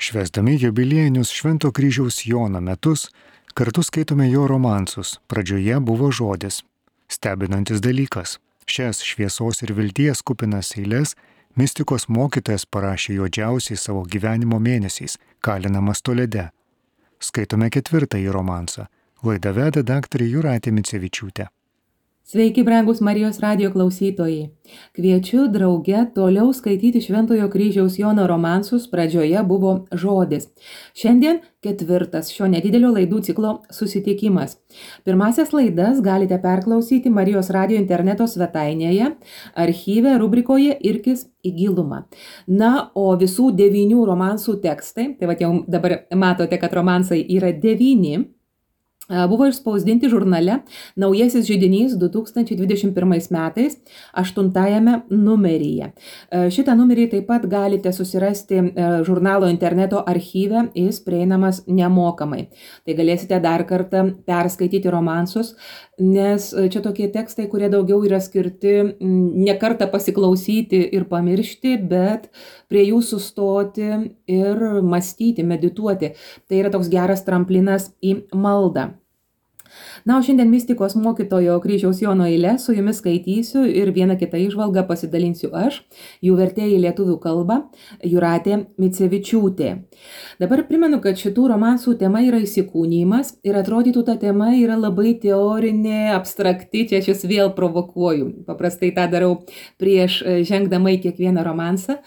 Švęsdami jubiliejinius Švento kryžiaus Jono metus, kartu skaitome jo romansus. Pradžioje buvo žodis. Stebinantis dalykas. Šias šviesos ir vilties kupinas eiles mistikos mokytojas parašė juodžiausiai savo gyvenimo mėnesiais, kalinamas Tolede. Skaitome ketvirtąjį romansą. Laidą veda daktarė Jūratė Micevičiūtė. Sveiki, brangus Marijos radijo klausytojai. Kviečiu drauge toliau skaityti Šventojo kryžiaus Jono romansus. Pradžioje buvo žodis. Šiandien ketvirtas šio nedidelio laidų ciklo susitikimas. Pirmasias laidas galite perklausyti Marijos radijo interneto svetainėje, archyve, rubrikoje Irkis į gilumą. Na, o visų 9 romansų tekstai, tai jau dabar matote, kad romansai yra 9, buvo išspausdinti žurnale Naujasis židinys 2021 metais 8 numeryje. Šitą numerį taip pat galite susirasti žurnalo interneto archyve, jis prieinamas nemokamai. Tai galėsite dar kartą perskaityti romansus, nes čia tokie tekstai, kurie daugiau yra skirti ne kartą pasiklausyti ir pamiršti, bet prie jų sustoti ir mąstyti, medituoti. Tai yra toks geras tramplinas į maldą. Na, o šiandien mistikos mokytojo kryžiaus Jono eiles su jumis skaitysiu ir vieną kitą įžvalgą pasidalinsiu aš, jų vertėja į lietuvių kalbą Jūratė Micevičiūtė. Dabar primenu, kad šitų romansų tema yra įsikūnijimas ir atrodytų ta tema yra labai teorinė, abstrakti, čia aš jūs vėl provokuoju. Paprastai tą darau prieš žengdama į kiekvieną romansą.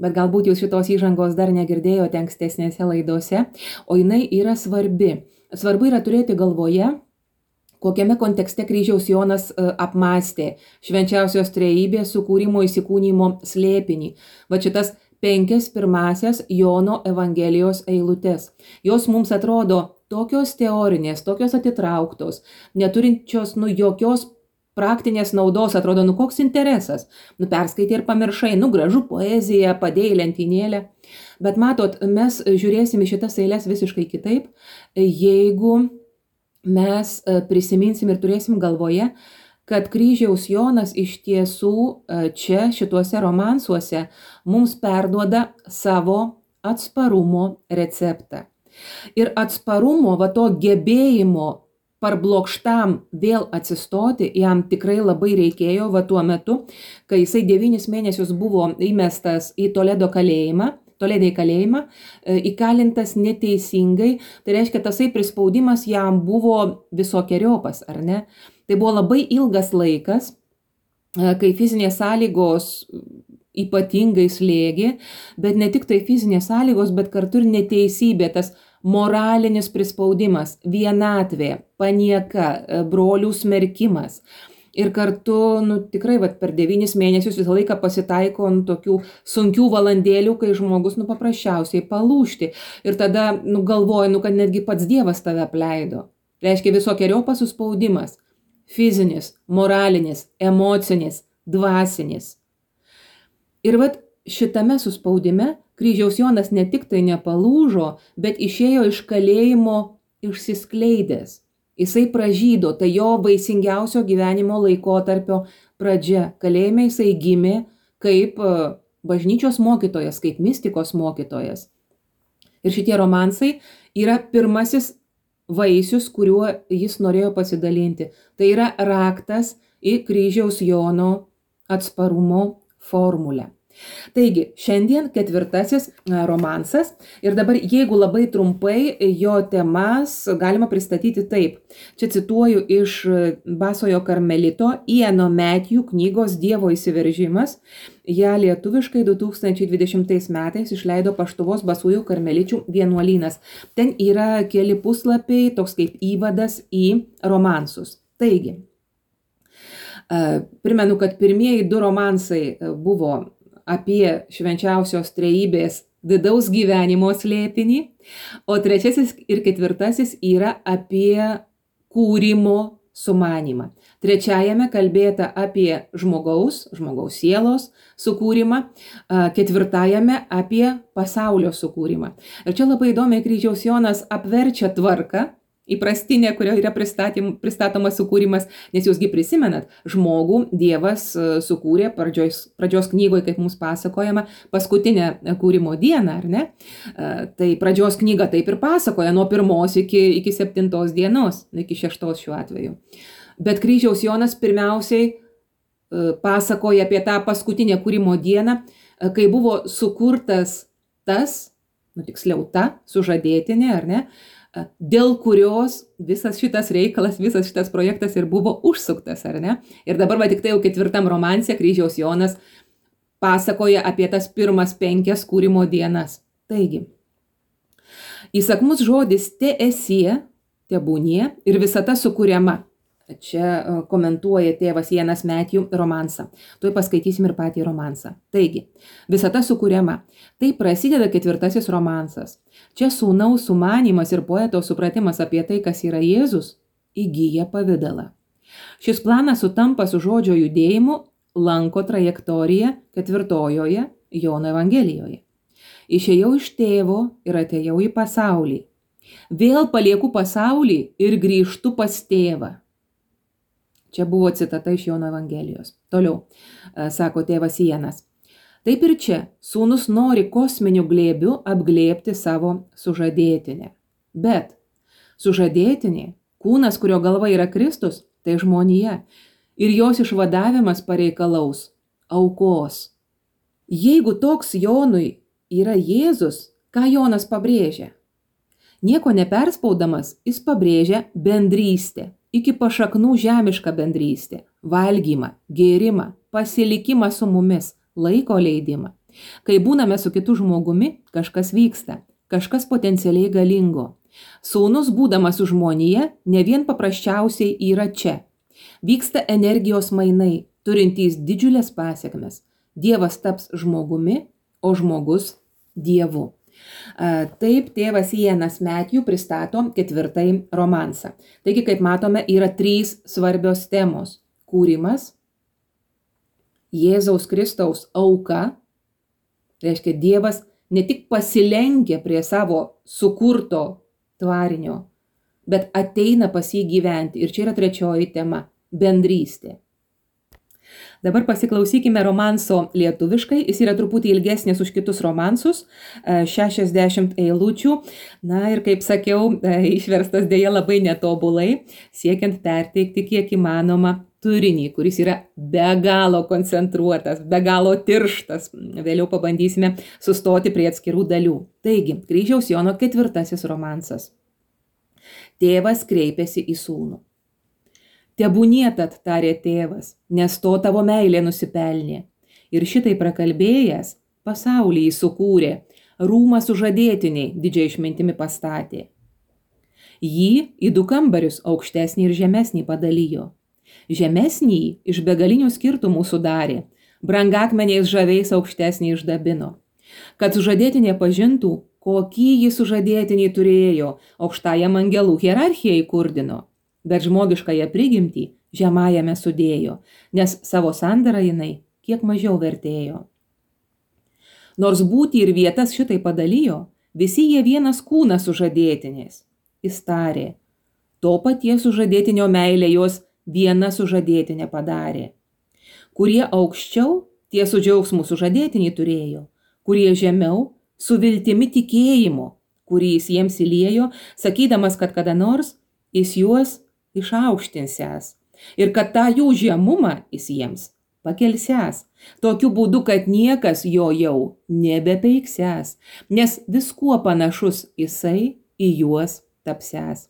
Bet galbūt jūs šitos įžangos dar negirdėjote ankstesnėse laidose, o jinai yra svarbi. Svarbu yra turėti galvoje, kokiame kontekste kryžiaus Jonas apmąstė švenčiausios trejybės sukūrimo įsikūnijimo slėpinį. Va šitas 5 pirmasias Jono Evangelijos eilutes. Jos mums atrodo tokios teorinės, tokios atitrauktos, neturinčios jokios praktinės naudos, atrodo, koks interesas. Perskaitai ir pamiršai, gražu poezija, padėjai lentynėlę. Bet matot, mes žiūrėsim į šitas eiles visiškai kitaip, jeigu mes prisiminsim ir turėsim galvoje, kad kryžiaus Jonas iš tiesų čia šituose romansuose mums perduoda savo atsparumo receptą. Ir atsparumo, to gebėjimo parblokštam vėl atsistoti jam tikrai labai reikėjo tuo metu, kai jisai 9 mėnesius buvo įmestas į Toledei kalėjimą, įkalintas neteisingai, tai reiškia, tasai prispaudimas jam buvo visokiojopas, ar ne? Tai buvo labai ilgas laikas, kai fizinės sąlygos ypatingai slėgė, bet ne tik tai fizinės sąlygos, bet kartu ir neteisybė, tas moralinis prispaudimas, vienatvė, panieka, brolių smerkimas. Ir kartu, tikrai per 9 mėnesius visą laiką pasitaiko tokių sunkių valandėlių, kai žmogus paprasčiausiai palūžti. Ir tada galvoja, kad netgi pats Dievas tave apleido. Reiškia visokiojopas suspaudimas. Fizinis, moralinis, emocinis, dvasinis. Ir šitame suspaudime kryžiaus Jonas ne tik tai nepalūžo, bet išėjo iš kalėjimo išsiskleidęs. Jisai pražydo, tai jo vaisingiausio gyvenimo laikotarpio pradžia. Kalėjime jisai gimė kaip bažnyčios mokytojas, kaip mistikos mokytojas. Ir šitie romansai yra pirmasis vaisius, kuriuo jis norėjo pasidalinti. Tai yra raktas į kryžiaus Jono atsparumo formulę. Taigi, šiandien 4 romansas ir dabar, jeigu labai trumpai, jo temas galima pristatyti taip. Čia cituoju iš Basojo karmelito Iano Matthew knygos Dievo įsiveržimas. Ja lietuviškai 2020 metais išleido Paštuvos Basųjų karmeličių vienuolynas. Ten yra keli puslapiai, toks kaip įvadas į romansus. Taigi, primenu, kad pirmieji 2 romansai buvo apie švenčiausios trejybės vidaus gyvenimo slėpinį, o 3 ir 4 yra apie kūrimo sumanymą. 3 kalbėta apie žmogaus sielos sukūrimą, 4 apie pasaulio sukūrimą. Ir čia labai įdomiai kryžiaus Jonas apverčia tvarką įprastinė, kurioje yra pristatomas sukūrimas, nes jūsgi prisimenat, žmogų Dievas sukūrė pradžios knygoje, kaip mums pasakojama, paskutinę kūrimo dieną, ar ne? Tai pradžios knyga taip ir pasakoja nuo 1 iki 7 dienos, iki 6 šiuo atveju. Bet kryžiaus Jonas pirmiausiai pasakoja apie tą paskutinę kūrimo dieną, kai buvo sukurtas tas, tiksliau ta sužadėtinė, ar ne, dėl kurios visas šitas reikalas, visas šitas projektas ir buvo užsuktas, ar ne? Ir dabar tik tai jau 4 romanse kryžiaus Jonas pasakoja apie tas pirmas 5 kūrimo dienas. Taigi, įsakmus žodis te esie, tebūnie ir visata sukuriama. Čia komentuoja tėvas Janas Metjų romansą. Tuoj paskaitysim ir patį romansą. Taigi, visata sukuriama. Tai prasideda 4 romansas. Čia sūnaus sumanymas ir poeto supratimas apie tai, kas yra Jėzus, įgyja pavidalą. Šis planas sutampa su žodžio judėjimu lanko trajektoriją 4 Jono Evangelijoje. Išėjau iš tėvo ir atėjau į pasaulį. Vėl palieku pasaulį ir grįžtu pas tėvą. Čia buvo citata iš Jono Evangelijos. Toliau, sako tėvas Janas. Taip ir čia, sūnus nori kosminiu glėbiu apglėbti savo sužadėtinę. Bet sužadėtinė, kūnas, kurio galva yra Kristus, tai žmonija. Ir jos išvadavimas pareikalaus aukos. Jeigu toks Jonui yra Jėzus, ką Jonas pabrėžia? Nieko neperspaudamas, jis pabrėžia bendrystę. Iki pašaknų žemišką bendrystę, valgymą, gėrimą, pasilikimą su mumis, laiko leidimą. Kai būname su kitu žmogumi, kažkas vyksta, kažkas potencialiai galingo. Sūnus, būdamas su žmonija, ne vien paprasčiausiai yra čia. Vyksta energijos mainai, turintys didžiulės pasekmes. Dievas taps žmogumi, o žmogus Dievu. Taip tėvas Janas Metjų pristato 4 romansą. Taigi, kaip matome, yra 3 svarbios temos. Kūrimas, Jėzaus Kristaus auka, reiškia Dievas ne tik pasilenkia prie savo sukurto tvarinio, bet ateina pas jį gyventi. Ir čia yra 3 tema – bendrystė. Dabar pasiklausykime romanso lietuviškai, jis yra truputį ilgesnis už kitus romansus, 60 eilučių, na ir kaip sakiau, išverstas dėja labai netobulai, siekiant perteikti kiek įmanoma turinį, kuris yra be galo koncentruotas, be galo tirštas. Vėliau pabandysime sustoti prie atskirų dalių. Taigi, kryžiaus Jono 4 romansas. Tėvas kreipėsi į sūnų. Tebūnie tad, tarė tėvas, nes to tavo meilė nusipelnė. Ir šitai prakalbėjęs, pasaulį jį sukūrė, rūmą sužadėtiniai didžiai išmintimi pastatė. Jį į 2 kambarius aukštesnį ir žemesnį padalijo. Žemesnį iš begalinių skirtumų sudarė, brangakmeniais žaviais aukštesnį išdabino. Kad sužadėtinė pažintų, kokį jį sužadėtiniai turėjo, aukštajam angelų hierarchijai kurdino. Bet žmogiškąją prigimtį žemajame sudėjo, nes savo sandarą jinai kiek mažiau vertėjo. Nors būtį ir vietas šitai padalijo, visi jie vienas kūnas sužadėtinės. Jis tarė, to paties sužadėtinio meilė jos viena sužadėtinė padarė. Kurie aukščiau, tie su džiaugsmu sužadėtinį turėjo, kurie žemiau, su viltimi tikėjimo, kurį jis jiems įliejo, sakydamas, kad kada nors jis juos išaukštinsęs ir kad tą jų žemumą jis jiems pakelsęs, tokiu būdu, kad niekas jo jau nebepeiksęs, nes viskuo panašus jisai į juos tapsęs.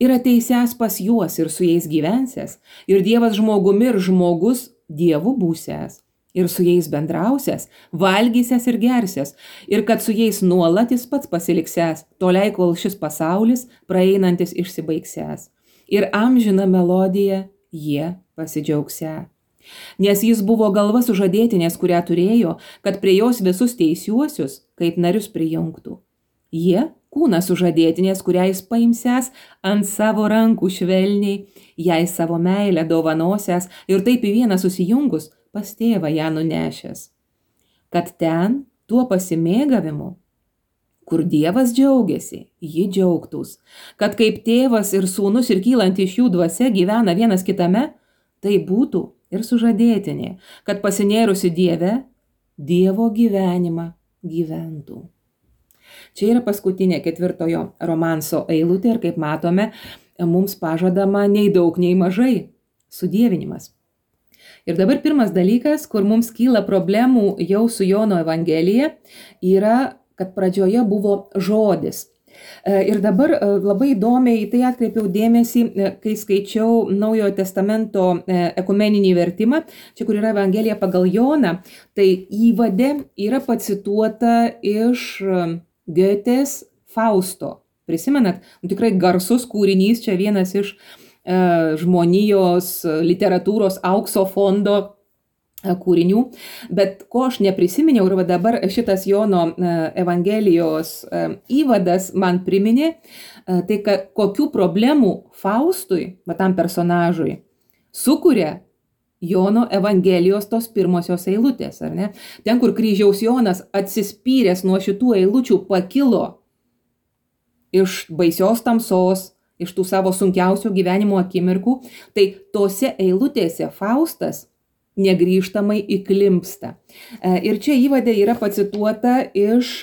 Ir ateisęs pas juos ir su jais gyvensęs, ir Dievas žmogumi ir žmogus Dievu būsęs, ir su jais bendrausęs, valgysęs ir gersęs, ir kad su jais nuolat jis pats pasiliksęs, toliai kol šis pasaulis praeinantis išsibaigsęs. Ir amžiną melodiją jie pasidžiaugsę. Nes jis buvo galva sužadėtinės, kurią turėjo, kad prie jos visus teisiuosius kaip narius prijungtų. Jie kūną sužadėtinės, kurią jis paimsęs ant savo rankų švelniai, jai savo meilę dovanosiąs ir taip į vieną susijungus pas tėvą ją nunešęs. Kad ten, tuo pasimėgavimu, Kur Dievas džiaugiasi, ji džiaugtųs. Kad kaip tėvas ir sūnus ir kylanti iš jų dvasia gyvena vienas kitame, tai būtų ir sužadėtinė, kad pasinėrusi Dieve, Dievo gyvenimą gyventų. Čia yra paskutinė 4 romanso eilutė ir kaip matome, mums pažadama nei daug, nei mažai sudievinimas. Ir dabar pirmas dalykas, kur mums kyla problemų jau su Jono Evangelija, yra, kad pradžioje buvo žodis. Ir dabar labai įdomiai į tai atkreipiau dėmesį, kai skaičiau Naujojo testamento ekumeninį vertimą, čia kur yra Evangelija pagal Joną, tai įvade yra pacituota iš Goetės Fausto. Prisimenat, tikrai garsus kūrinys, čia vienas iš žmonijos literatūros aukso fondo kūrinių, bet ko aš neprisiminiau ir dabar šitas Jono Evangelijos įvadas man priminė, tai kokių problemų Faustui, tam personažui, sukuria Jono Evangelijos tos pirmosios eilutės, ar ne? Ten, kur kryžiaus Jonas atsispyręs nuo šitų eilučių pakilo iš baisios tamsos, iš tų savo sunkiausių gyvenimo akimirkų, tai tose eilutėse Faustas negrįžtamai įklimpsta. Ir čia įvade yra pacituota iš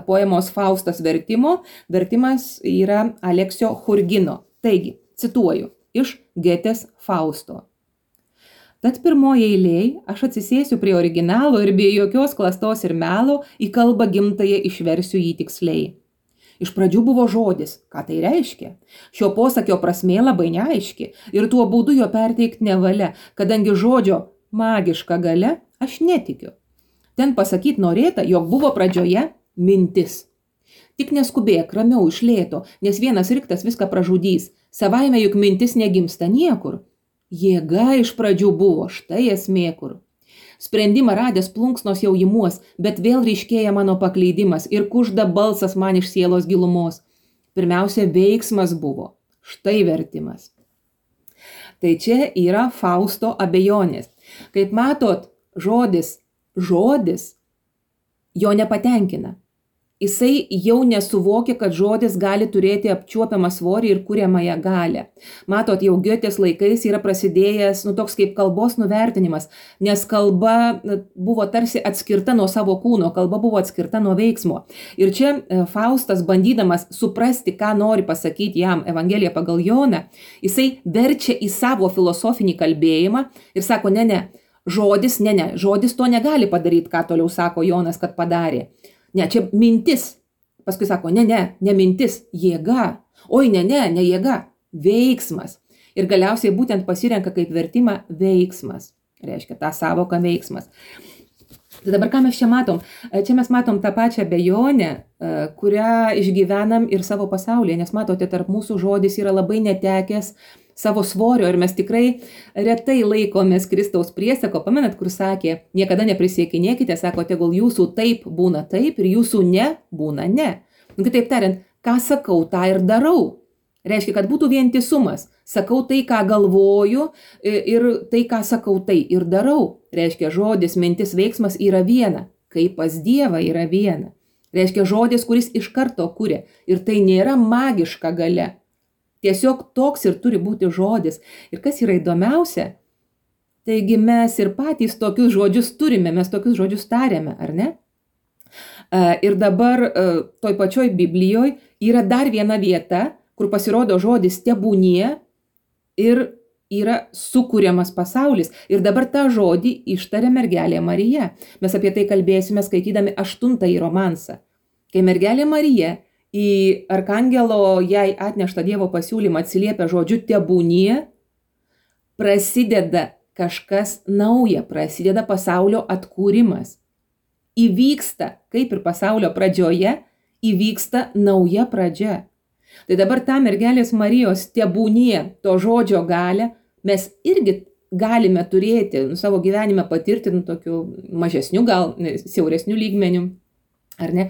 poemos Faustas vertimo. Vertimas yra Aleksio Churgino. Taigi, cituoju, iš Goetės Fausto. Tad pirmoje eilėje aš atsisėsiu prie originalo ir be jokios klastos ir melo į kalbą gimtąją išversiu jį tiksliai. Iš pradžių buvo žodis, ką tai reiškia. Šio posakio prasmė labai neaiški ir tuo būdu jo perteikti nevalia, kadangi žodžio magiška galia aš netikiu. Ten pasakyti norėta, jog buvo pradžioje mintis. Tik neskubėk, ramiau iš lėto, nes vienas riktas viską pražudys. Savaime juk mintis negimsta niekur. Jėga iš pradžių buvo, štai esmė kur. Sprendimą radęs plunksnos jau imuos, bet vėl ryškėja mano paklydimas ir kužda balsas man iš sielos gilumos. Pirmiausia, veiksmas buvo, štai vertimas. Tai čia yra Fausto abejonės. Kaip matot, žodis jo nepatenkina. Jisai jau nesuvokia, kad žodis gali turėti apčiuopiamą svorį ir kuriamąją galią. Matot, jau Goetės laikais yra prasidėjęs toks kaip kalbos nuvertinimas, nes kalba buvo tarsi atskirta nuo savo kūno, kalba buvo atskirta nuo veiksmo. Ir čia Faustas, bandydamas suprasti, ką nori pasakyti jam Evangelija pagal Joną, jisai verčia į savo filosofinį kalbėjimą ir sako, žodis to negali padaryti, ką toliau sako Jonas, kad padarė. Ne, čia mintis. Paskui sako, ne mintis, jėga. Oi, ne jėga, veiksmas. Ir galiausiai būtent pasirenka kaip vertimą veiksmas. Reiškia tą savoką veiksmas. Tai dabar ką mes čia matom? Čia mes matom tą pačią abejonę, kurią išgyvenam ir savo pasaulyje. Nes matote, tarp mūsų žodis yra labai netekęs savo svorio ir mes tikrai retai laikomės Kristaus priesako. Pamenat, kur sakė, niekada neprisiekinėkite, sako, tegul jūsų taip būna taip ir jūsų ne būna ne. Kitaip tariant, ką sakau, tą ir darau. Reiškia, kad būtų vientisumas. Sakau tai, ką galvoju ir tai, ką sakau, tai ir darau. Reiškia, žodis, mintis, veiksmas yra viena, kaip pas Dievą yra viena. Reiškia, žodis, kuris iš karto kuria. Ir tai nėra magiška galia. Tiesiog toks ir turi būti žodis. Ir kas yra įdomiausia, taigi mes ir patys tokius žodžius turime, mes tokius žodžius tariame, ar ne? Ir dabar toj pačioj Biblijoje yra dar viena vieta, kur pasirodo žodis tebūnie ir yra sukūriamas pasaulis. Ir dabar tą žodį ištaria mergelė Marija. Mes apie tai kalbėsime skaitydami 8 romansą. Kai mergelė Marija į arkangelo jai atneštą Dievo pasiūlymą atsiliepia žodžiu tebūnie, prasideda kažkas nauja, prasideda pasaulio atkūrimas. Įvyksta, kaip ir pasaulio pradžioje, įvyksta nauja pradžia. Tai dabar tą mergelės Marijos tebūnie, to žodžio galę, mes irgi galime turėti savo gyvenime patirti tokiu mažesniu, gal siauresniu lygmeniu. Ar ne?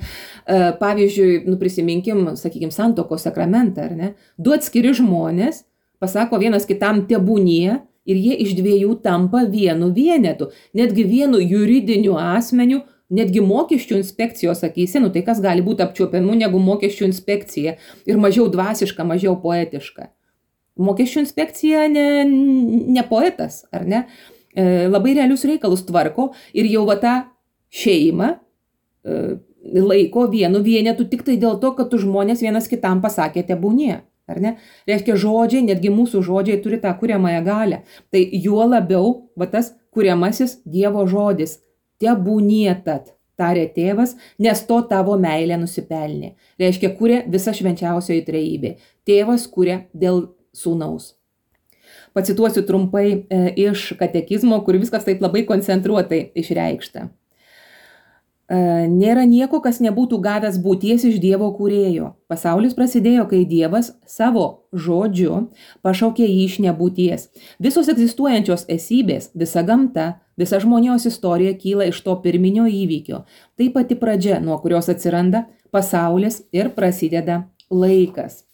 Pavyzdžiui, prisiminkim, sakykim, santuokos sakramentą, ar ne? Du atskiri žmonės pasako vienas kitam tebūnie ir jie iš dviejų tampa vienu vienetu, netgi vienu juridiniu asmeniu netgi mokesčių inspekcijos akyse, tai kas gali būti apčiuopiamų negu mokesčių inspekcija ir mažiau dvasiška, mažiau poetiška. Mokesčių inspekcija ne poetas, ar ne? Labai realius reikalus tvarko ir jau va tą šeimą laiko vienu vienetu tik tai dėl to, kad tu žmonės vienas kitam pasakė tebūnie, ar ne? Reiškia, žodžiai, netgi mūsų žodžiai turi tą kuriamąją galią. Tai juo labiau va tas kuriamasis Dievo žodis. Tebūnie tad, tarė tėvas, nes to tavo meilė nusipelnė. Reiškia, kuria visa švenčiausioji trejybė. Tėvas kuria dėl sūnaus. Pacituosiu trumpai iš katekizmo, kur viskas taip labai koncentruotai išreikšta. Nėra nieko, kas nebūtų gavęs būties iš Dievo kūrėjo. Pasaulis prasidėjo, kai Dievas savo žodžiu pašaukė jį iš nebūties. Visos egzistuojančios esybės, visa gamta, visa žmonijos istorija kyla iš to pirminio įvykio. Tai pati pradžia, nuo kurios atsiranda pasaulis ir prasideda laikas.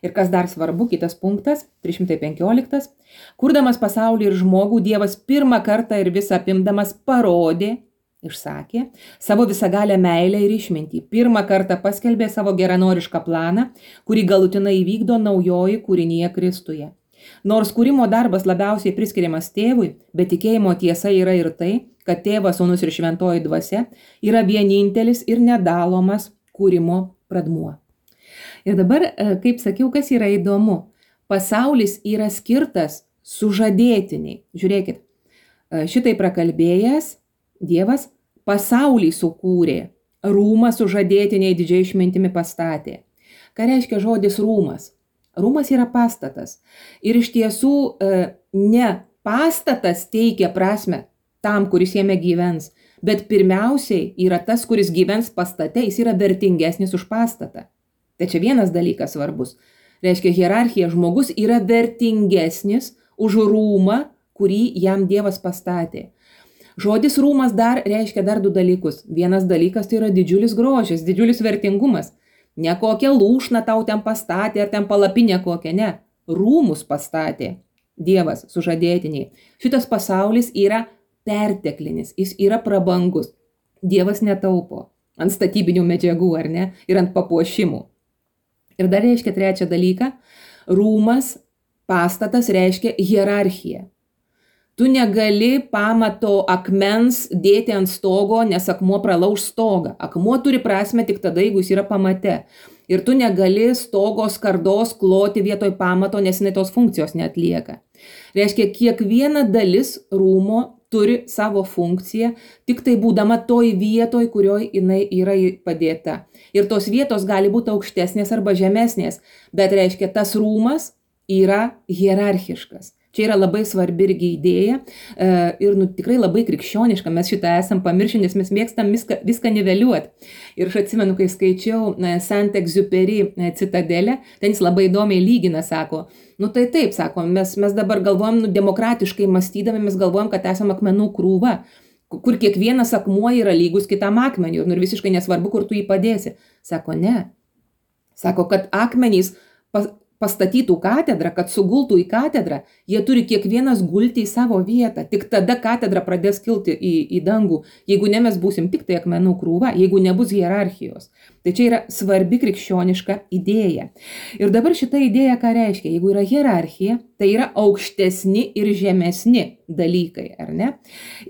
Ir kas dar svarbu, kitas punktas, 315. Kurdamas pasaulį ir žmogų, Dievas pirmą kartą ir visą apimdamas parodė, išsakė, savo visagalę meilę ir išmintį. Pirmą kartą paskelbė savo geranorišką planą, kurį galutinai įvykdo naujoji kūrinyje Kristuje. Nors kūrimo darbas labiausiai priskiriamas tėvui, bet tikėjimo tiesa yra ir tai, kad tėvas, sūnus ir šventoji dvasia yra vienintelis ir nedalomas kūrimo pradmuo. Ir dabar, kaip sakiau, kas yra įdomu, pasaulis yra skirtas sužadėtiniai. Žiūrėkit, šitai prakalbėjęs Dievas pasaulį sukūrė, rūmą sužadėtiniai didžiai išmintimi pastatė. Ką reiškia žodis rūmas? Rūmas yra pastatas. Ir iš tiesų ne pastatas teikia prasme tam, kuris jame gyvens, bet pirmiausiai yra tas, kuris gyvens pastate, jis yra vertingesnis už pastatą. Tai čia vienas dalykas svarbus. Reiškia, hierarchija, žmogus yra vertingesnis už rūmą, kurį jam Dievas pastatė. Žodis rūmas dar reiškia dar du dalykus. Vienas dalykas tai yra didžiulis grožis, didžiulis vertingumas. Ne kokią lūšną tau ten pastatė ar ten palapinę kokią, ne. Rūmus pastatė Dievas sužadėtiniai. Šitas pasaulis yra perteklinis, jis yra prabangus. Dievas netaupo ant statybinių medžiagų, ar ne, ir ant papuošimų. Ir dar reiškia trečią dalyką, rūmas, pastatas reiškia hierarchiją. Tu negali pamato akmens dėti ant stogo, nes akmuo pralauš stogą. Akmuo turi prasme tik tada, jeigu jis yra pamate. Ir tu negali stogo skardos kloti vietoj pamato, nes jinai tos funkcijos neatlieka. Reiškia, kiekviena dalis rūmo turi savo funkciją, tik tai būdama toj vietoj, kurioj jinai yra padėta. Ir tos vietos gali būti aukštesnės arba žemesnės, bet reiškia, tas rūmas yra hierarchiškas. Čia yra labai svarbi irgi idėja ir tikrai labai krikščioniška, mes šitą esam pamiršę, nes mes mėgstam viską niveliuoti. Ir aš atsimenu, kai skaičiau Saint-Exupéry Citadelę, ten jis labai įdomiai lygina, sako, tai taip, sako, mes dabar galvojam, demokratiškai mąstydami, mes galvojam, kad esam akmenų krūva, kur kiekvienas akmuo yra lygus kitam akmeniu ir visiškai nesvarbu, kur tu jį padėsi. Sako, ne. Sako, kad akmenys pastatytų katedrą, kad sugultų į katedrą, jie turi kiekvienas gulti į savo vietą. Tik tada katedra pradės kilti į dangų, jeigu ne mes būsim tik tai akmenų krūva, jeigu nebus hierarchijos. Tai čia yra svarbi krikščioniška idėja. Ir dabar šita idėja ką reiškia? Jeigu yra hierarchija, tai yra aukštesni ir žemesni dalykai, ar ne?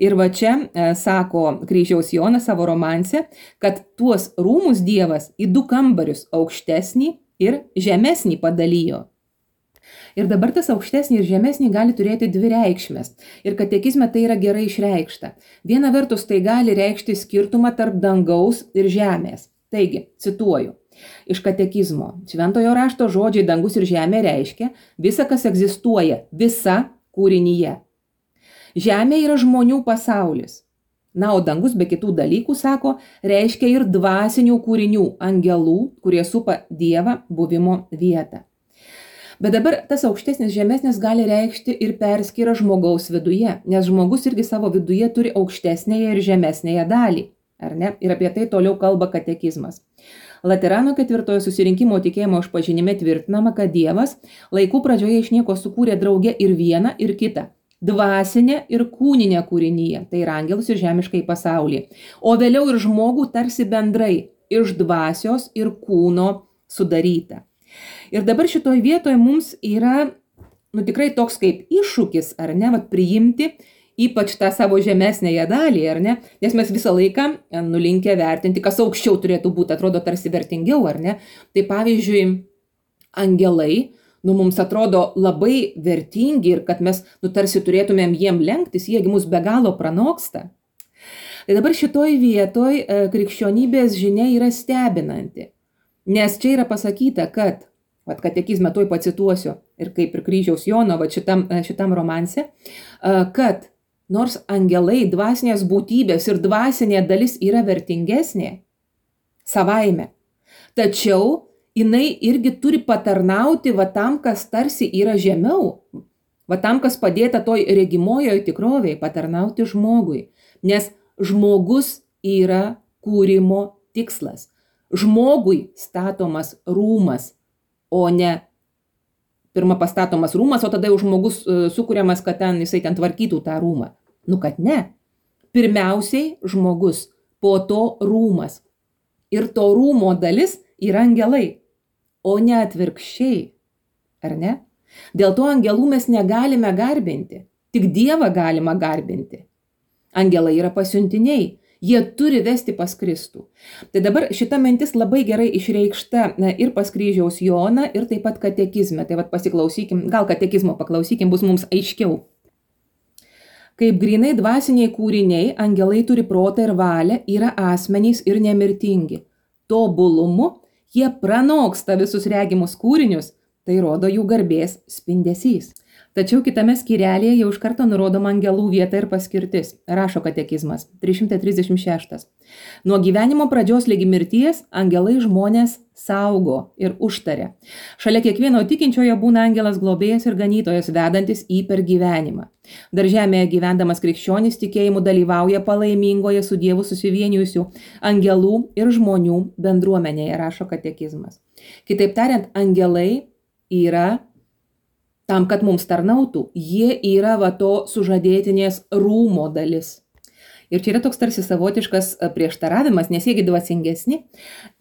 Ir va čia sako Kryžiaus Jonas savo romanse, kad tuos rūmus Dievas į du kambarius aukštesnį ir žemesnį padalijo. Ir dabar tas aukštesnį ir žemesnį gali turėti dvi reikšmės. Ir katekizme tai yra gerai išreikšta. Viena vertus tai gali reikšti skirtumą tarp dangaus ir žemės. Taigi, cituoju, iš katekizmo. Šventojo rašto žodžiai dangus ir žemė reiškia visa, kas egzistuoja, visa kūrinyje. Žemė yra žmonių pasaulis. Na, o dangus be kitų dalykų, sako, reiškia ir dvasinių kūrinių, angelų, kurie supa Dievą buvimo vietą. Bet dabar tas aukštesnis žemesnis gali reikšti ir perskyrą žmogaus viduje, nes žmogus irgi savo viduje turi aukštesnėje ir žemesnėje dalį, ar ne? Ir apie tai toliau kalba katekizmas. Laterano 4 susirinkimo tikėjimo išpažinime tvirtinama, kad Dievas laikų pradžioje iš nieko sukūrė drauge ir vieną, ir kitą. dvasinę ir kūninę kūrinyje, tai yra angelus ir žemiškai pasaulį, o vėliau ir žmogų tarsi bendrai iš dvasios ir kūno sudaryta. Ir dabar šitoj vietoje mums yra tikrai toks kaip iššūkis, ar ne, priimti ypač tą savo žemesnėje dalį, ar ne, nes mes visą laiką nulinkę vertinti, kas aukščiau turėtų būti, atrodo tarsi vertingiau, ar ne. Tai pavyzdžiui, angelai, mums atrodo labai vertingi ir kad mes tarsi turėtumėm jiem lenktis, jiegi mus be galo pranoksta. Tai dabar šitoj vietoj krikščionybės žinia yra stebinanti, nes čia yra pasakyta, kad katekizme tuoj pacituosiu ir kaip ir kryžiaus Jono šitam romanse, kad nors angelai, dvasinės būtybės ir dvasinė dalis yra vertingesnė savaime, tačiau jinai irgi turi patarnauti tam, kas tarsi yra žemiau, tam, kas padėta toj regimojoje tikrovėje, patarnauti žmogui, nes žmogus yra kūrimo tikslas. Žmogui statomas rūmas, o ne pirma pastatomas rūmas, o tada jau žmogus sukuriamas, kad jisai ten tvarkytų tą rūmą. Kad ne. Pirmiausiai žmogus, po to rūmas. Ir to rūmo dalis yra angelai, o ne atvirkščiai. Ar ne? Dėl to angelų mes negalime garbinti, tik Dievą galima garbinti. Angelai yra pasiuntiniai. Jie turi vesti pas Kristų. Tai dabar šita mintis labai gerai išreikšta ir pas kryžiaus Joną, ir taip pat katekizme. Tai pasiklausykim, gal katekizmo paklausykim, bus mums aiškiau. Kaip grinai dvasiniai kūriniai, angelai turi protą ir valią, yra asmenys ir nemirtingi. Tobulumu jie pranoksta visus regimus kūrinius, tai rodo jų garbės spindesys. Tačiau kitame skyrelėje jau iš karto nurodoma angelų vieta ir paskirtis. Rašo katekizmas 336. Nuo gyvenimo pradžios ligi mirties angelai žmonės saugo ir užtaria. Šalia kiekvieno tikinčiojo būna angelas globėjas ir ganytojas, vedantis į per gyvenimą. Dar žemėje gyvendamas krikščionis tikėjimu dalyvauja palaimingoje su Dievu susivienijusių angelų ir žmonių bendruomenėje, rašo katekizmas. Kitaip tariant, angelai yra tam, kad mums tarnautų, jie yra to sužadėtinės rūmo dalis. Ir čia yra toks tarsi savotiškas prieštaravimas, nes jiegi dvasingesni.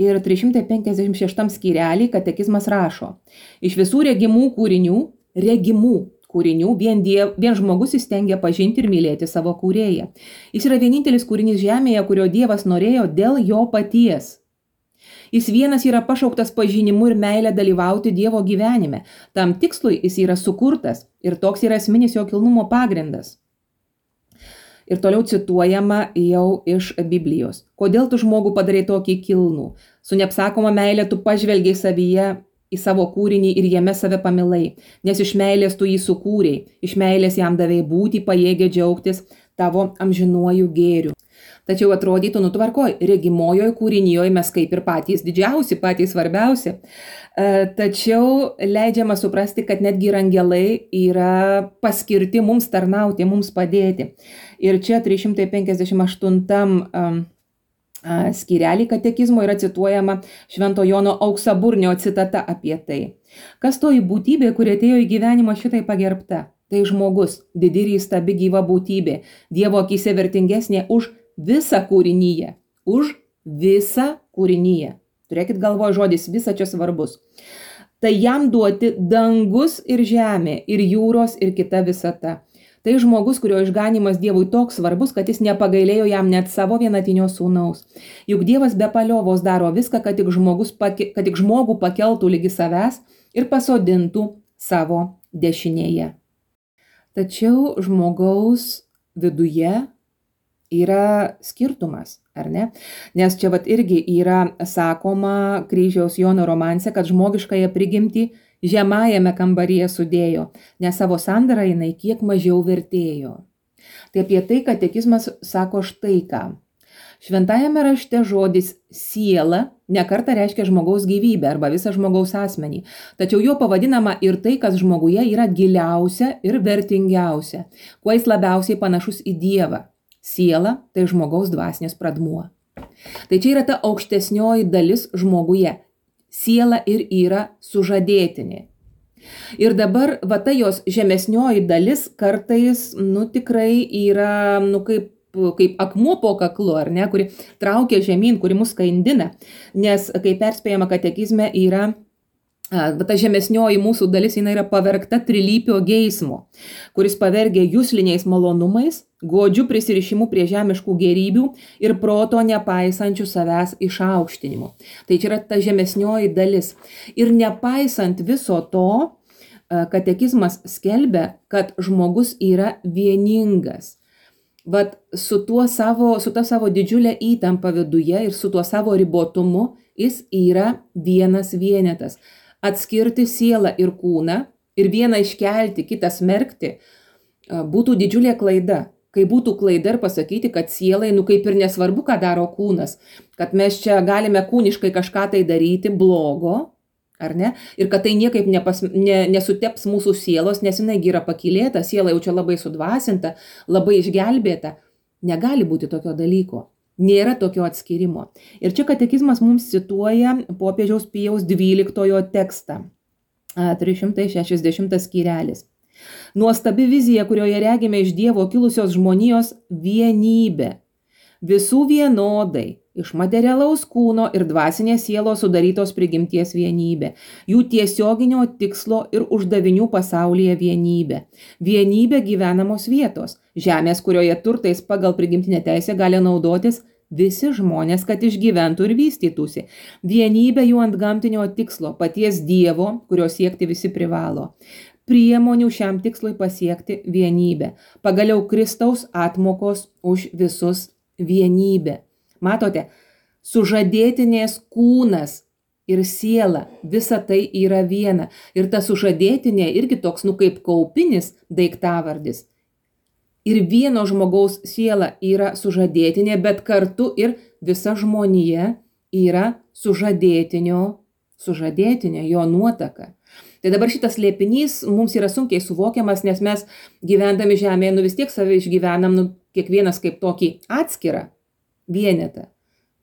Ir 356 skyrelį katekizmas rašo, iš visų regimų kūrinių vien žmogus įstengia pažinti ir mylėti savo kūrėją. Jis yra vienintelis kūrinys žemėje, kurio Dievas norėjo dėl jo paties. Jis vienas yra pašauktas pažinimu ir meilę dalyvauti Dievo gyvenime. Tam tikslui jis yra sukurtas ir toks yra esminis jo kilnumo pagrindas. Ir toliau cituojama jau iš Biblijos. Kodėl tu žmogų padarai tokį kilnų? Su neapsakoma meilė tu pažvelgiai savyje į savo kūrinį ir jame save pamilai, nes iš meilės tu jį sukūrei, iš meilės jam davei būti pajėgę džiaugtis tavo amžinuoju gėriu. Tačiau atrodytų, tvarkoj, regimojoje kūrinyjoje mes kaip ir patys didžiausi, patys svarbiausi. Tačiau leidžiama suprasti, kad netgi ir angelai yra paskirti mums tarnauti, mums padėti. Ir čia 358 skyrelį katekizmo yra cituojama Švento Jono Auksaburnio citata apie tai. Kas toji būtybė, kuri atėjo į gyvenimą šitai pagerbta? Tai žmogus, didi ir įstabi gyva būtybė, Dievo akyse vertingesnė už visą kūrinyje. Už visą kūrinyje. Turėkit galvoje žodis visą čia svarbus. Tai jam duoti dangus ir žemė, ir jūros, ir kita visata. Tai žmogus, kurio išganimas Dievui toks svarbus, kad jis nepagailėjo jam net savo vienatinio sūnaus. Juk Dievas be paliovos daro viską, kad tik žmogų pakeltų lygi savęs ir pasodintų savo dešinėje. Tačiau žmogaus viduje yra skirtumas, ar ne? Nes čia irgi yra sakoma kryžiaus Jono romanse, kad žmogiškąją prigimtį žemajame kambaryje sudėjo, nes savo sandarą jinai kiek mažiau vertėjo. Tai apie tai katekizmas sako štai ką. Šventajame rašte žodis siela nekartą reiškia žmogaus gyvybę arba visą žmogaus asmenį, tačiau jo pavadinama ir tai, kas žmoguje yra giliausia ir vertingiausia, kuo jis labiausiai panašus į Dievą. Siela tai žmogaus dvasinis pradmuo. Tai čia yra ta aukštesnioji dalis žmoguje. Siela ir yra sužadėtinė. Ir dabar va ta jos žemesnioji dalis kartais, tikrai yra, kaip akmuo po kaklu, ar ne, kuri traukia žemyn, kuri mus skandina. Nes, kaip perspėjama katekizme, yra ta žemesnioji mūsų dalis, jinai yra pavergta trilypio geismo, kuris pavergia jusliniais malonumais, godžių prisirišimu prie žemiškų gėrybių ir proto nepaisančių savęs išaukštinimu. Tai čia yra ta žemesnioji dalis. Ir nepaisant viso to, katekizmas skelbia, kad žmogus yra vieningas. Vat su ta savo didžiulė įtampa viduje ir su tuo savo ribotumu jis yra vienas vienetas. Atskirti sielą ir kūną ir vieną iškelti, kitą smerkti, būtų didžiulė klaida. Kai būtų klaida ir pasakyti, kad sielai, kaip ir nesvarbu, ką daro kūnas, kad mes čia galime kūniškai kažką tai daryti blogo, ar ne? Ir kad tai niekaip nesuteps mūsų sielos, nes jinai yra pakylėta, siela jau čia labai sudvasinta, labai išgelbėta. Negali būti tokio dalyko. Nėra tokio atskirimo. Ir čia katekizmas mums cituoja popiežiaus Pijaus XII tekstą, 360 skyrelis. Nuostabi vizija, kurioje regime iš Dievo kilusios žmonijos vienybę. Visų vienodai, iš materialaus kūno ir dvasinės sielos sudarytos prigimties vienybė. Jų tiesioginio tikslo ir uždavinių pasaulyje vienybė. Vienybė gyvenamos vietos. Žemės, kurioje turtais pagal prigimtinę teisę gali naudotis visi žmonės, kad išgyventų ir vystytųsi. Vienybė jų antgamtinio tikslo, paties Dievo, kurio siekti visi privalo. Priemonių šiam tikslui pasiekti vienybę. Pagaliau Kristaus atmokos už visus vienybė. Matote, sužadėtinės kūnas ir siela, visa tai yra viena. Ir ta sužadėtinė irgi toks, kaip kaupinis daiktavardis. Ir vieno žmogaus siela yra sužadėtinė, bet kartu ir visa žmonija yra sužadėtinio, jo nuotaka. Tai dabar šitas slėpinys mums yra sunkiai suvokiamas, nes mes gyvendami žemėje, vis tiek save išgyvenam, kiekvienas kaip tokį atskirą vienetą.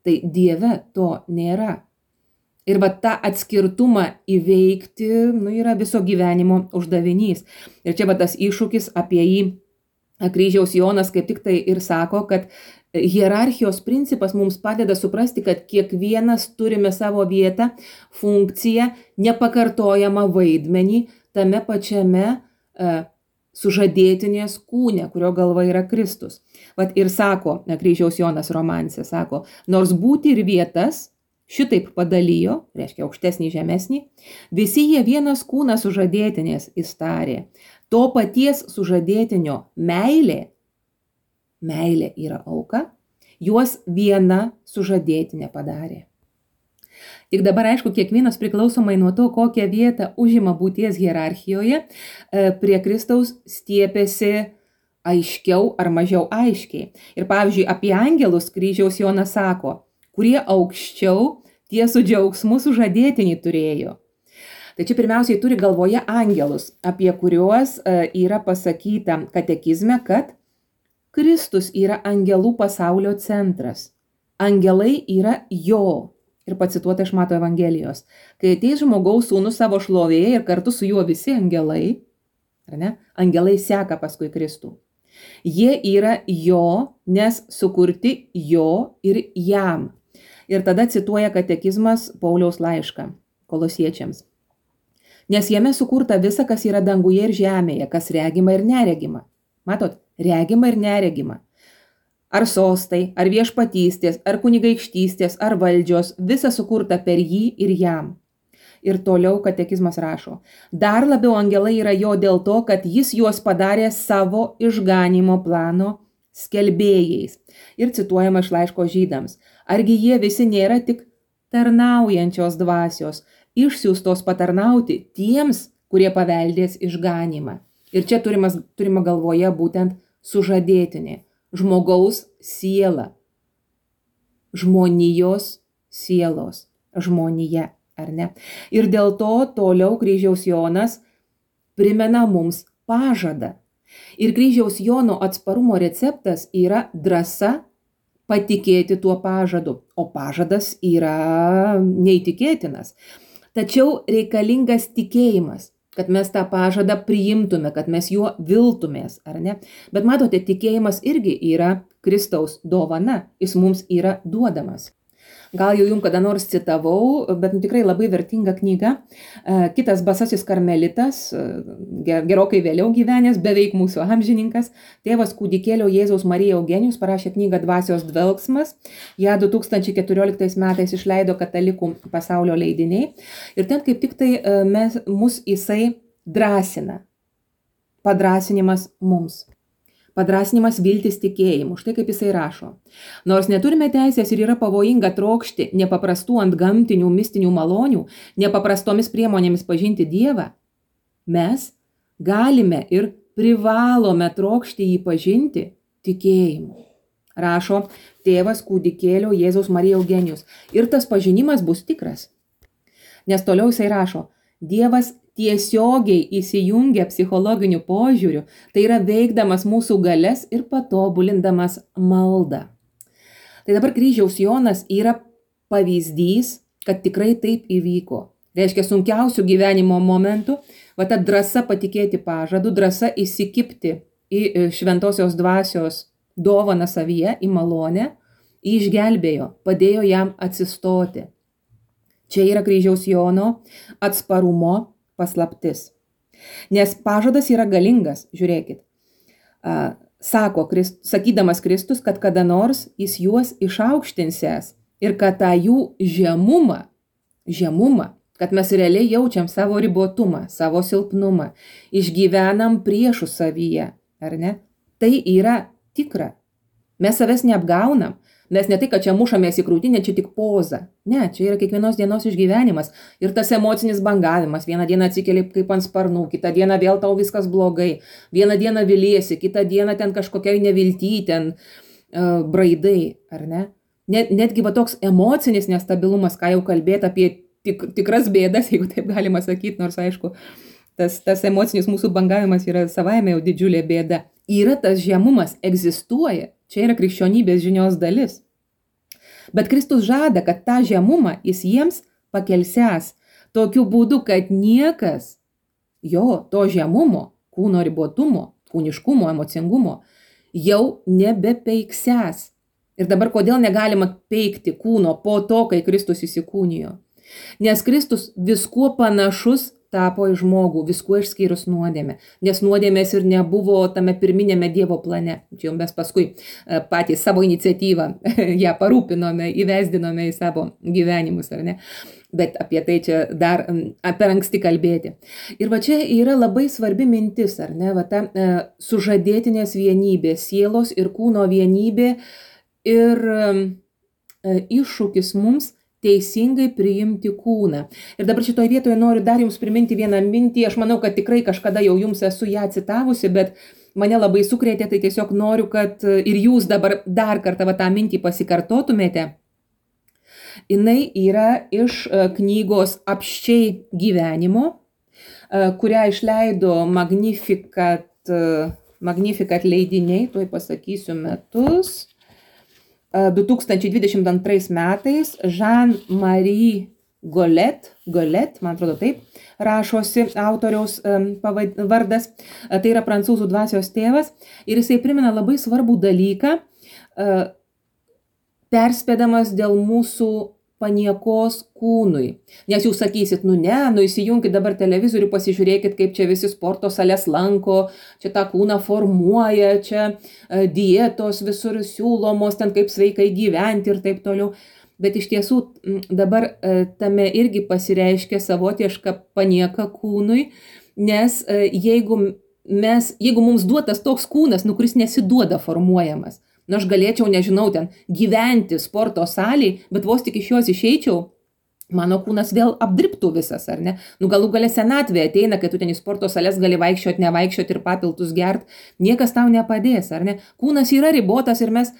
Tai Dieve to nėra. Ir tą atskirtumą įveikti, yra viso gyvenimo uždavinys. Ir čia tas iššūkis, apie jį Kryžiaus Jonas kaip tik tai ir sako, kad hierarchijos principas mums padeda suprasti, kad kiekvienas turime savo vietą, funkciją, nepakartojamą vaidmenį tame pačiame sužadėtinės kūne, kurio galva yra Kristus. Ir sako, Kryžiaus Jonas romanse, sako, nors būti ir vietas šitaip padalijo, reiškia aukštesnį, žemesnį, visi jie vienas kūnas sužadėtinės įstarė. To paties sužadėtinio meilė yra auka, juos viena sužadėtinė padarė. Tik dabar, aišku, kiekvienas priklausomai nuo to, kokią vietą užima būties hierarchijoje, prie Kristaus stiepėsi aiškiau ar mažiau aiškiai. Ir pavyzdžiui, apie angelus Kryžiaus Jonas sako, kurie aukščiau tie su džiaugsmu sužadėtinį turėjo. Tai čia pirmiausiai turi galvoje angelus, apie kuriuos yra pasakyta katekizme, kad Kristus yra angelų pasaulio centras. Angelai yra jo. Ir pacituota iš Mato Evangelijos. Kai ateis žmogaus sūnus savo šlovėje ir kartu su juo visi angelai, ar ne? Angelai seka paskui Kristų. Jie yra jo, nes sukurti jo ir jam. Ir tada cituoja katekizmas Pauliaus laišką Kolosiečiams. Nes jame sukurta visa, kas yra danguje ir žemėje, kas regima ir neregima. Matot, regima ir neregima. Ar sostai, ar viešpatystės, ar kunigaikštystės, ar valdžios, visa sukurta per jį ir jam. Ir toliau katekizmas rašo, dar labiau angelai yra jo dėl to, kad jis juos padarė savo išganimo plano skelbėjais. Ir cituojama iš laiško Žydams. Argi jie visi nėra tik tarnaujančios dvasios, išsiųstos patarnauti tiems, kurie paveldės išganimą. Ir čia turima galvoje būtent sužadėtinė, žmogaus siela, žmonijos sielos, žmonija, ar ne? Ir dėl to toliau Kryžiaus Jonas primena mums pažadą. Ir Kryžiaus Jono atsparumo receptas yra drąsa patikėti tuo pažadu, o pažadas yra neįtikėtinas. Tačiau reikalingas tikėjimas, kad mes tą pažadą priimtume, kad mes juo viltumės, ar ne? Bet matote, tikėjimas irgi yra Kristaus dovana, jis mums yra duodamas. Gal jau jums kada nors citavau, bet tikrai labai vertinga knyga. Kitas basasis karmelitas, gerokai vėliau gyvenęs, beveik mūsų amžininkas, tėvas kūdikėlio Jėzaus Marija Eugenijus parašė knygą Dvasios dvelksmas. Ja 2014 metais išleido Katalikų pasaulio leidiniai. Ir ten kaip tik tai mus jisai drąsina. Padrasinimas mums. Padrasinimas viltis tikėjimu. Štai kaip jisai rašo. Nors neturime teisės ir yra pavojinga trokšti nepaprastų antgamtinių mistinių malonių, nepaprastomis priemonėmis pažinti Dievą, mes galime ir privalome trokšti jį pažinti tikėjimu. Rašo tėvas kūdikėlio Jėzaus Marija Eugenijus. Ir tas pažinimas bus tikras. Nes toliau jisai rašo, Dievas tiesiogiai įsijungia psichologiniu požiūriu, tai yra veikdamas mūsų galias ir patobulindamas maldą. Tai dabar kryžiaus Jonas yra pavyzdys, kad tikrai taip įvyko. Reiškia, sunkiausių gyvenimo momentų, va ta drąsa patikėti pažadu, drąsa įsikibti į šventosios dvasios dovaną savyje, į malonę, išgelbėjo, padėjo jam atsistoti. Čia yra kryžiaus Jono atsparumo paslaptis. Nes pažadas yra galingas, žiūrėkit. Sakydamas Kristus, kad kada nors jis juos išaukštinsės ir kad tą jų žemumą, kad mes realiai jaučiam savo ribotumą, savo silpnumą, išgyvenam priešų savyje, ar ne? Tai yra tikra. Mes savęs neapgaunam. Mes ne tai, kad čia mušamės į krūtinę, čia tik poza. Ne, čia yra kiekvienos dienos išgyvenimas. Ir tas emocinis bangavimas. Vieną dieną atsikeli kaip ant sparnų, kitą dieną vėl tau viskas blogai. Vieną dieną viliesi, kitą dieną ten kažkokiai nevilty, ten braidai, ar ne? Netgi va toks emocinis nestabilumas, ką jau kalbėti apie tikras bėdas, jeigu taip galima sakyti, nors aišku, tas emocinis mūsų bangavimas yra savaime jau didžiulė bėda. Yra tas žemumas, egzistuoja. Čia yra krikščionybės žinios dalis. Bet Kristus žada, kad tą žemumą jis jiems pakelsęs tokiu būdu, kad niekas jo to žemumo, kūno ribotumo, kūniškumo, emocingumo jau nebepeiksęs. Ir dabar kodėl negalima peikti kūno po to, kai Kristus įsikūnijo? Nes Kristus viskuo panašus tapo į žmogų, viskuo išskyrus nuodėmę. Nes nuodėmės ir nebuvo tame pirminėme Dievo plane. Čia mes paskui patys savo iniciatyvą ją parūpinome, įvesdinome į savo gyvenimus, ar ne? Bet apie tai čia dar per anksti kalbėti. Ir va čia yra labai svarbi mintis, ar ne? Va ta sužadėtinės vienybė, sielos ir kūno vienybė ir iššūkis mums teisingai priimti kūną. Ir dabar šitoje vietoje noriu dar jums priminti vieną mintį. Aš manau, kad tikrai kažkada jau jums esu ją citavusi, bet mane labai sukrėtė, tai tiesiog noriu, kad ir jūs dabar dar kartą tą mintį pasikartotumėte. Jinai yra iš knygos Apsčiai gyvenimo, kurią išleido Magnificat leidiniai, tuoj pasakysiu metus. 2022 metais Jean-Marie Golet, man atrodo taip, rašosi autoriaus vardas, tai yra prancūzų dvasios tėvas, ir jisai primena labai svarbų dalyką, perspėdamas dėl mūsų paniekos kūnui. Nes jūs sakysit, įsijunkit dabar televizorių, pasižiūrėkit, kaip čia visi sporto sales lanko, čia tą kūną formuoja, čia dietos visur siūlomos, ten kaip sveikai gyventi ir taip toliau. Bet iš tiesų dabar tame irgi pasireiškia savotiška panieka kūnui, nes jeigu mums duotas toks kūnas, kuris nesiduoda formuojamas, aš galėčiau, nežinau, ten gyventi sporto salėj, bet vos tik iš jos išeičiau, mano kūnas vėl apdribtų visas, ar ne? Galų gale senatvė ateina, kai tu ten į sporto sales gali vaikščioti, nevaikščioti ir papiltus gert, niekas tau nepadės, ar ne? Kūnas yra ribotas ir mes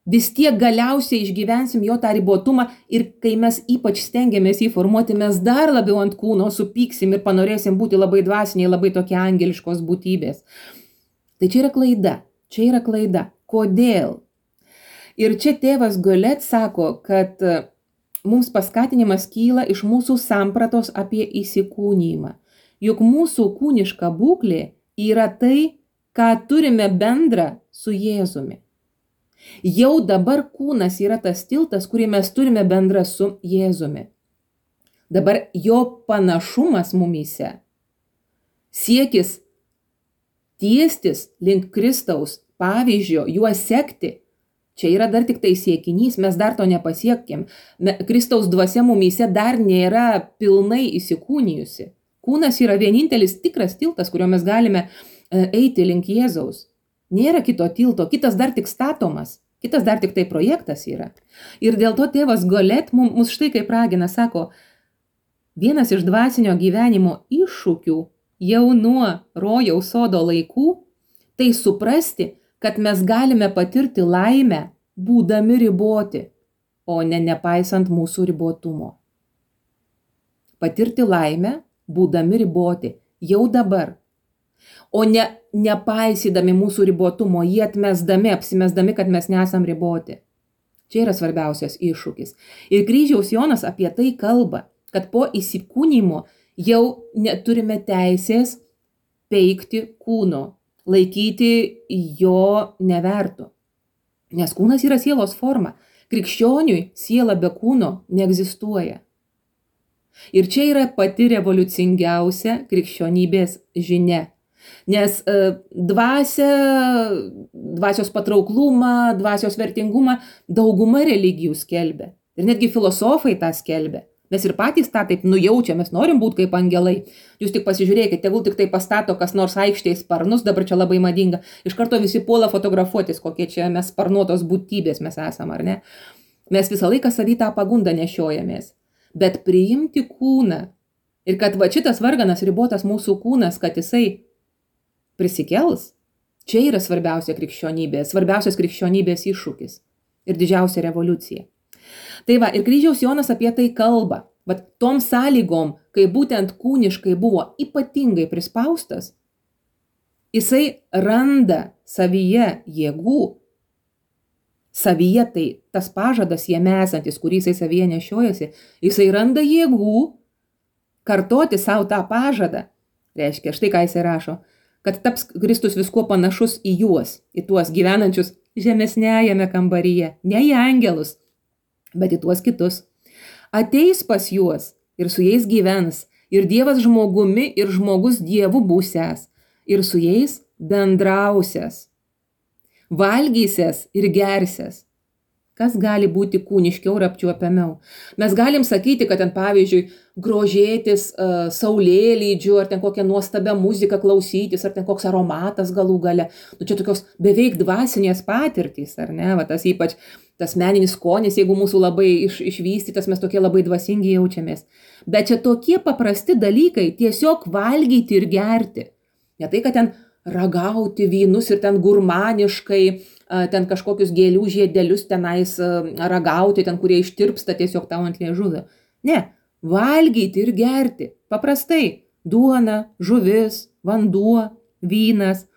vis tiek galiausiai išgyvensim jo tą ribotumą ir kai mes ypač stengiamės jį formuoti, mes dar labiau ant kūno supyksim ir panorėsim būti labai dvasiniai, labai tokie angeliškos būtybės. Tai čia yra klaida. Kodėl? Ir čia tėvas Golet sako, kad mums paskatinimas kyla iš mūsų sampratos apie įsikūnijimą. juk mūsų kūniška būklė yra tai, ką turime bendra su Jėzumi. Jau dabar kūnas yra tas tiltas, kurį mes turime bendra su Jėzumi. Dabar jo panašumas mumyse, siekis tiestis link Kristaus pavyzdžio, juo sekti, čia yra dar tik tai siekinys, mes dar to nepasiekėm. Kristaus dvasia mumyse dar nėra pilnai įsikūnijusi. Kūnas yra vienintelis tikras tiltas, kuriuo mes galime eiti link Jėzaus. Nėra kito tilto, kitas dar tik statomas, kitas dar tik tai projektas yra. Ir dėl to tėvas Golet mus štai kaip ragina, sako, vienas iš dvasinio gyvenimo iššūkių jau nuo rojaus sodo laikų, tai suprasti, kad mes galime patirti laimę, būdami riboti, o ne nepaisant mūsų ribotumo. Patirti laimę, būdami riboti, jau dabar, o ne nepaisydami mūsų ribotumo, jį atmesdami, apsimesdami, kad mes nesam riboti. Čia yra svarbiausias iššūkis. Ir kryžiaus Jonas apie tai kalba, kad po įsikūnymo jau neturime teisės peikti kūno, laikyti jo nevertu. Nes kūnas yra sielos forma. Krikščioniui siela be kūno neegzistuoja. Ir čia yra pati revoliucingiausia krikščionybės žinia. Nes dvasios patrauklumą, dvasios vertingumą dauguma religijų skelbia. Ir netgi filosofai tą skelbia. Nes ir patys tą taip nujaučia, mes norim būti kaip angelai. Jūs tik pasižiūrėkite, tegul tik tai pastato kas nors aikštėje sparnus, dabar čia labai madinga. Iš karto visi puola fotografuotis, kokie čia mes sparnuotos būtybės mes esam, ar ne? Mes visą laiką savy tą pagundą nešiojamės. Bet priimti kūną ir kad va šitas varganas ribotas mūsų kūnas, kad jisai prisikels, čia yra svarbiausias krikščionybės iššūkis ir didžiausia revoliucija. Tai va, ir kryžiaus Jonas apie tai kalba. Bet tom sąlygom, kai būtent kūniškai buvo ypatingai prispaustas, jisai randa savyje jėgų. Savyje tai tas pažadas jame esantis, kurį jisai savyje nešiojasi, jisai randa jėgų kartoti savo tą pažadą. Reiškia, štai ką jisai rašo, kad taps Kristus viskuo panašus į juos, į tuos gyvenančius žemesnėjame kambaryje, ne į angelus, bet į tuos kitus. Ateis pas juos ir su jais gyvens, ir Dievas žmogumi, ir žmogus Dievu būsęs, ir su jais bendrausias, valgysias ir gersias. Kas gali būti kūniškiau ir apčiuopiamiau? Mes galim sakyti, kad ten pavyzdžiui grožėtis saulėlydžiu, ar ten kokią nuostabią muziką klausytis, ar ten koks aromatas galų gale. Nu čia tokios beveik dvasinės patirtys, ar ne? Va, tas ypač tas meninis skonis, jeigu mūsų labai išvystytas, mes tokie labai dvasingi jaučiamės. Bet čia tokie paprasti dalykai, tiesiog valgyti ir gerti. Ne tai, kad ten ragauti vynus ir ten gurmaniškai, ten kažkokius gėlių žiedelius tenais ragauti, ten kurie ištirpsta tiesiog tau ant liežuvio. Ne, valgyti ir gerti. Paprastai duona, žuvis, vanduo, vynas,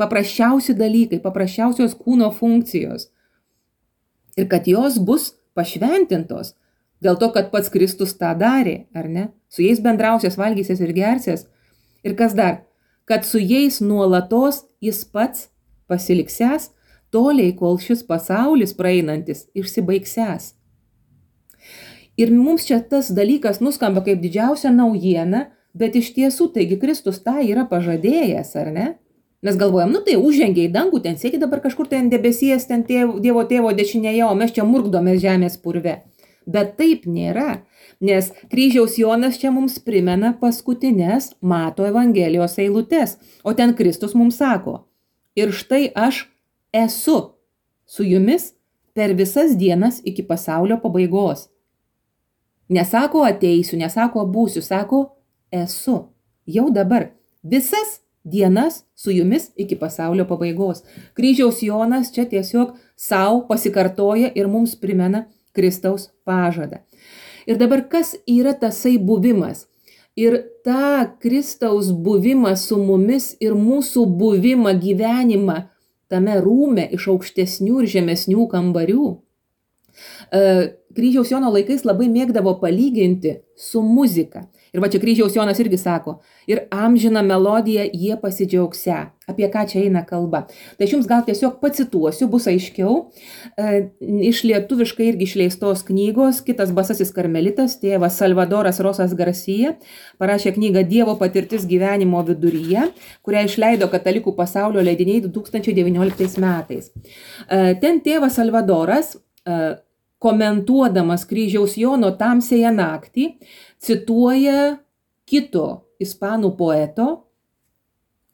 paprasčiausi dalykai, paprasčiausios kūno funkcijos. Ir kad jos bus pašventintos, dėl to, kad pats Kristus tą darė, ar ne? Su jais bendrausias, valgysias ir gersias. Ir kas dar? Kad su jais nuolatos jis pats pasiliksęs, toliai, kol šis pasaulis praeinantis išsibaigsęs. Ir mums čia tas dalykas nuskamba kaip didžiausia naujiena, bet iš tiesų, taigi Kristus tą yra pažadėjęs, ar ne? Mes galvojam, nu tai užžengė į dangų, ten sėdi dabar kažkur ten debesies, ten Dievo tėvo dešinėje, o mes čia murkdomės žemės purve. Bet taip nėra, nes kryžiaus Jonas čia mums primena paskutinės Mato Evangelijos eilutes, o ten Kristus mums sako, ir štai aš esu su jumis per visas dienas iki pasaulio pabaigos. Nesako ateisiu, nesako būsiu, sako esu jau dabar visas dienas su jumis iki pasaulio pabaigos. Kryžiaus Jonas čia tiesiog savo pasikartoja ir mums primena Kristaus pažadą. Ir dabar kas yra tasai buvimas? Ir tą Kristaus buvimą su mumis ir mūsų buvimą, gyvenimą tame rūme iš aukštesnių ir žemesnių kambarių. Kryžiaus Jono laikais labai mėgdavo palyginti su muzika. Ir va čia kryžiaus Jonas irgi sako, ir amžiną melodiją jie pasidžiaugsia. Apie ką čia eina kalba. Tai aš jums gal tiesiog pacituosiu, bus aiškiau. Iš lietuviškai irgi išleistos knygos kitas basasis karmelitas, tėvas Salvadoras Rosas Garcia, parašė knygą Dievo patirtis gyvenimo viduryje, kurią išleido Katalikų pasaulio leidiniai 2019 metais. Ten tėvas Salvadoras, komentuodamas kryžiaus Jono tamsiąją naktį, cituoja kito ispanų poeto,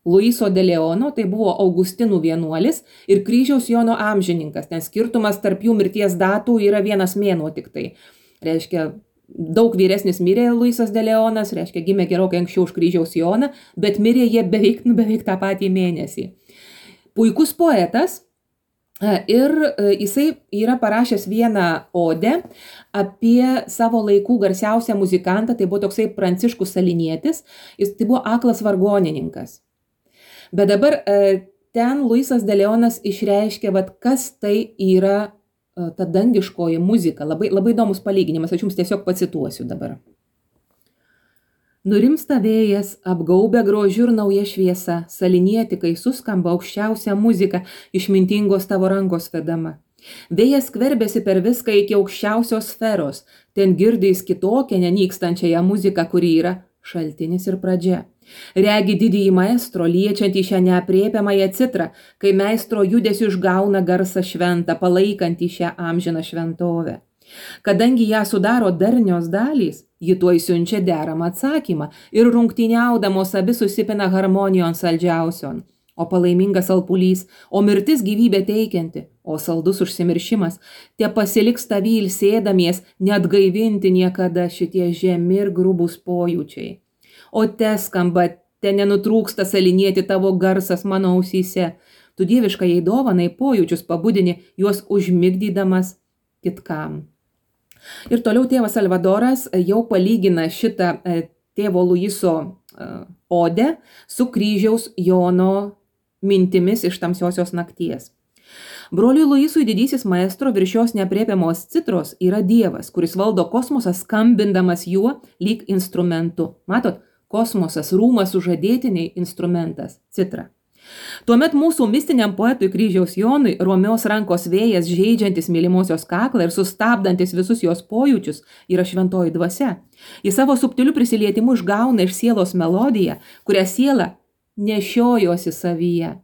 Luiso de Leono, tai buvo Augustinų vienuolis ir kryžiaus Jono amžininkas. Ten skirtumas tarp jų mirties datų yra 1 mėnuo tik tai. Reiškia, daug vyresnis mirė Luisas de Leonas, reiškia, gimė gerokai anksčiau už kryžiaus Joną, bet mirė jie beveik tą patį mėnesį. Puikus poetas. Ir jisai yra parašęs vieną odę apie savo laikų garsiausią muzikantą, tai buvo toksai Pranciškus Salinietis, jis tai buvo aklas vargonininkas. Bet dabar ten Luisas de Leonas išreiškė, kas tai yra ta dangiškoji muzika. Labai įdomus palyginimas, aš jums tiesiog pacituosiu dabar. Nurimsta vėjas, apgaubia grožiu ir nauja šviesa, salinieti, kai suskamba aukščiausia muzika, išmintingos tavo rankos vedama. Vėjas skverbėsi per viską iki aukščiausios sferos, ten girdės kitokią nenykstančiąją muziką, kuri yra šaltinis ir pradžia. Regi didįjį maestro, liečiantį šią neaprėpiamąją citrą, kai meistro judesiu išgauna garsą šventą, palaikantį šią amžiną šventovę. Kadangi ją sudaro darnios dalys, ji tuoj siunčia deramą atsakymą ir rungtyniaudamos abi susipina harmonijon saldžiausion. O palaimingas alpulys, o mirtis gyvybė teikianti, o saldus užsimiršimas, te pasiliks tavy ilsėdamies, net gaivinti niekada šitie žemi ir grubūs pojūčiai. O te skamba, te nenutrūksta salinieti tavo garsas mano ausyse. Tu dieviškai jai dovanai pojūčius pabudini, juos užmigdydamas kitkam. Ir toliau tėvas Salvadoras jau palygina šitą tėvo Luiso odę su kryžiaus Jono mintimis iš tamsiosios nakties. Broliui Luisui didysis maestro virš šios neaprėpiamos citros yra Dievas, kuris valdo kosmosą skambindamas juo lyg instrumentu. Matot, kosmosas, rūmas sužadėtiniai instrumentas, citra. Tuomet mūsų mistiniam poetui kryžiaus Jonui romios rankos vėjas žeidžiantis mylimosios kaklą ir sustabdantis visus jos pojūčius yra šventoji dvasia. Jis savo subtiliu prisilietimu išgauna iš sielos melodiją, kurią siela nešiojosi savyje.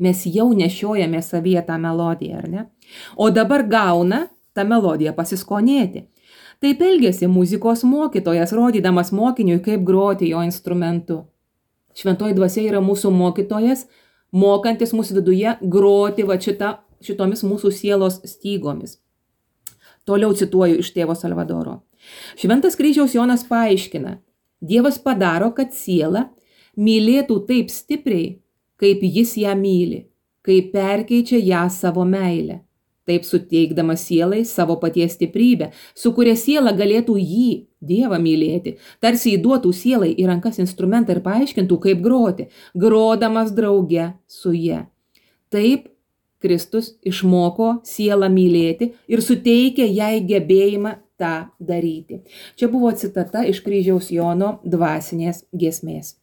Mes jau nešiojame savyje tą melodiją, ar ne? O dabar gauna tą melodiją pasiskonėti. Taip elgėsi muzikos mokytojas, rodydamas mokiniui, kaip groti jo instrumentu. Šventoji dvasia yra mūsų mokytojas, mokantis mūsų viduje groti šitomis mūsų sielos stygomis. Toliau cituoju iš tėvo Salvadoro. Šventas kryžiaus Jonas paaiškina, Dievas padaro, kad siela mylėtų taip stipriai, kaip jis ją myli, kaip perkeičia ją savo meilę. Taip suteikdamas sielai savo paties stiprybę, su kuria siela galėtų jį, Dievą mylėti, tarsi įduotų sielai į rankas instrumentą ir paaiškintų, kaip groti, grodamas drauge su ja. Taip Kristus išmoko sielą mylėti ir suteikė jai gebėjimą tą daryti. Čia buvo citata iš kryžiaus Jono dvasinės giesmės.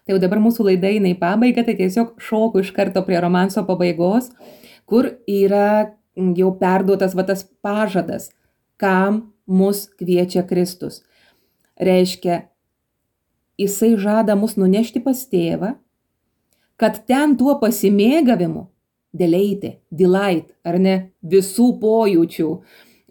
Tai jau dabar mūsų laida eina į pabaigą, tai tiesiog šoku iš karto prie romanso pabaigos, kur yra jau perduotas tas pažadas, kam mus kviečia Kristus. Reiškia, jisai žada mus nunešti pas tėvą, kad ten tuo pasimėgavimu, delight, ar ne, visų pojūčių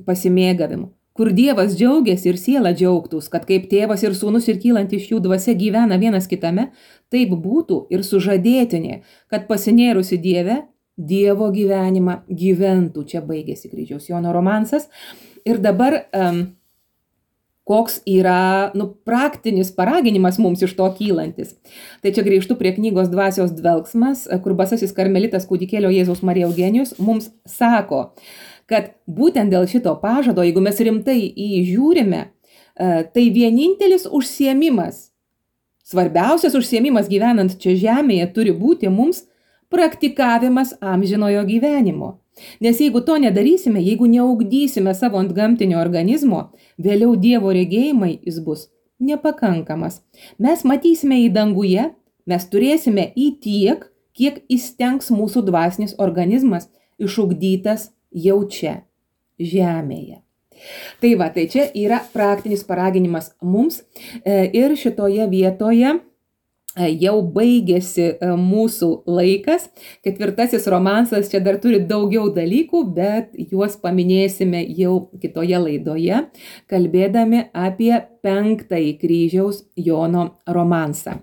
pasimėgavimu, kur Dievas džiaugiasi ir siela džiaugtųs, kad kaip tėvas ir sūnus ir kylant iš jų dvasia gyvena vienas kitame, taip būtų ir sužadėtinė, kad pasinėrusi Dieve, Dievo gyvenimą gyventų. Čia baigėsi kryžiaus Jono romansas. Ir dabar koks yra praktinis paraginimas mums iš to kylantis. Tai čia grįžtu prie knygos Dvasios dvelksmas, kur basasis karmelitas kūdikėlio Jėzaus Marija Eugenijus mums sako, kad būtent dėl šito pažado, jeigu mes rimtai įžiūrime, tai vienintelis užsiėmimas, svarbiausias užsiėmimas gyvenant čia žemėje turi būti mums praktikavimas amžinojo gyvenimo. Nes jeigu to nedarysime, jeigu neugdysime savo antgamtinio organizmo, vėliau Dievo regėjimai jis bus nepakankamas. Mes matysime į danguje, mes turėsime į tiek, kiek įstengs mūsų dvasinis organizmas išugdytas jau čia, žemėje. Tai va, tai čia yra praktinis paraginimas mums ir šitoje vietoje jau baigėsi mūsų laikas. 4 romansas čia dar turi daugiau dalykų, bet juos paminėsime jau kitoje laidoje, kalbėdami apie 5 kryžiaus Jono romansą.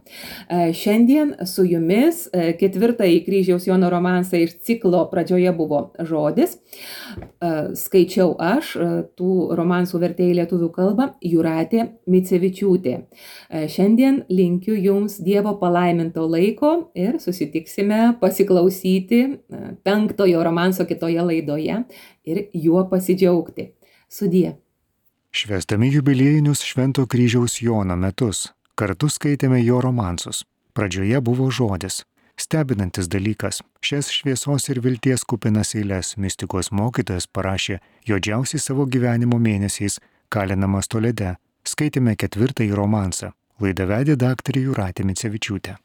Šiandien su jumis 4 kryžiaus Jono romansą iš ciklo pradžioje buvo žodis. Skaičiau aš, tų romansų vertėjai lietuvių kalbą Jūratė Micevičiūtė. Šiandien linkiu jums Dievo palaiminto laiko ir susitiksime pasiklausyti 5 romanso kitoje laidoje ir juo pasidžiaugti. Sudie. Švęsdami jubiliejinius Švento kryžiaus Jono metus, kartu skaitėme jo romansus. Pradžioje buvo žodis. Stebinantis dalykas, šias šviesos ir vilties kupinas eiles mistikos mokytojas parašė juodžiausiais savo gyvenimo mėnesiais kalinamas Tolede. Skaitėme 4 romansą. Laidą vedė daktarė Jūratė Micevičiūtė.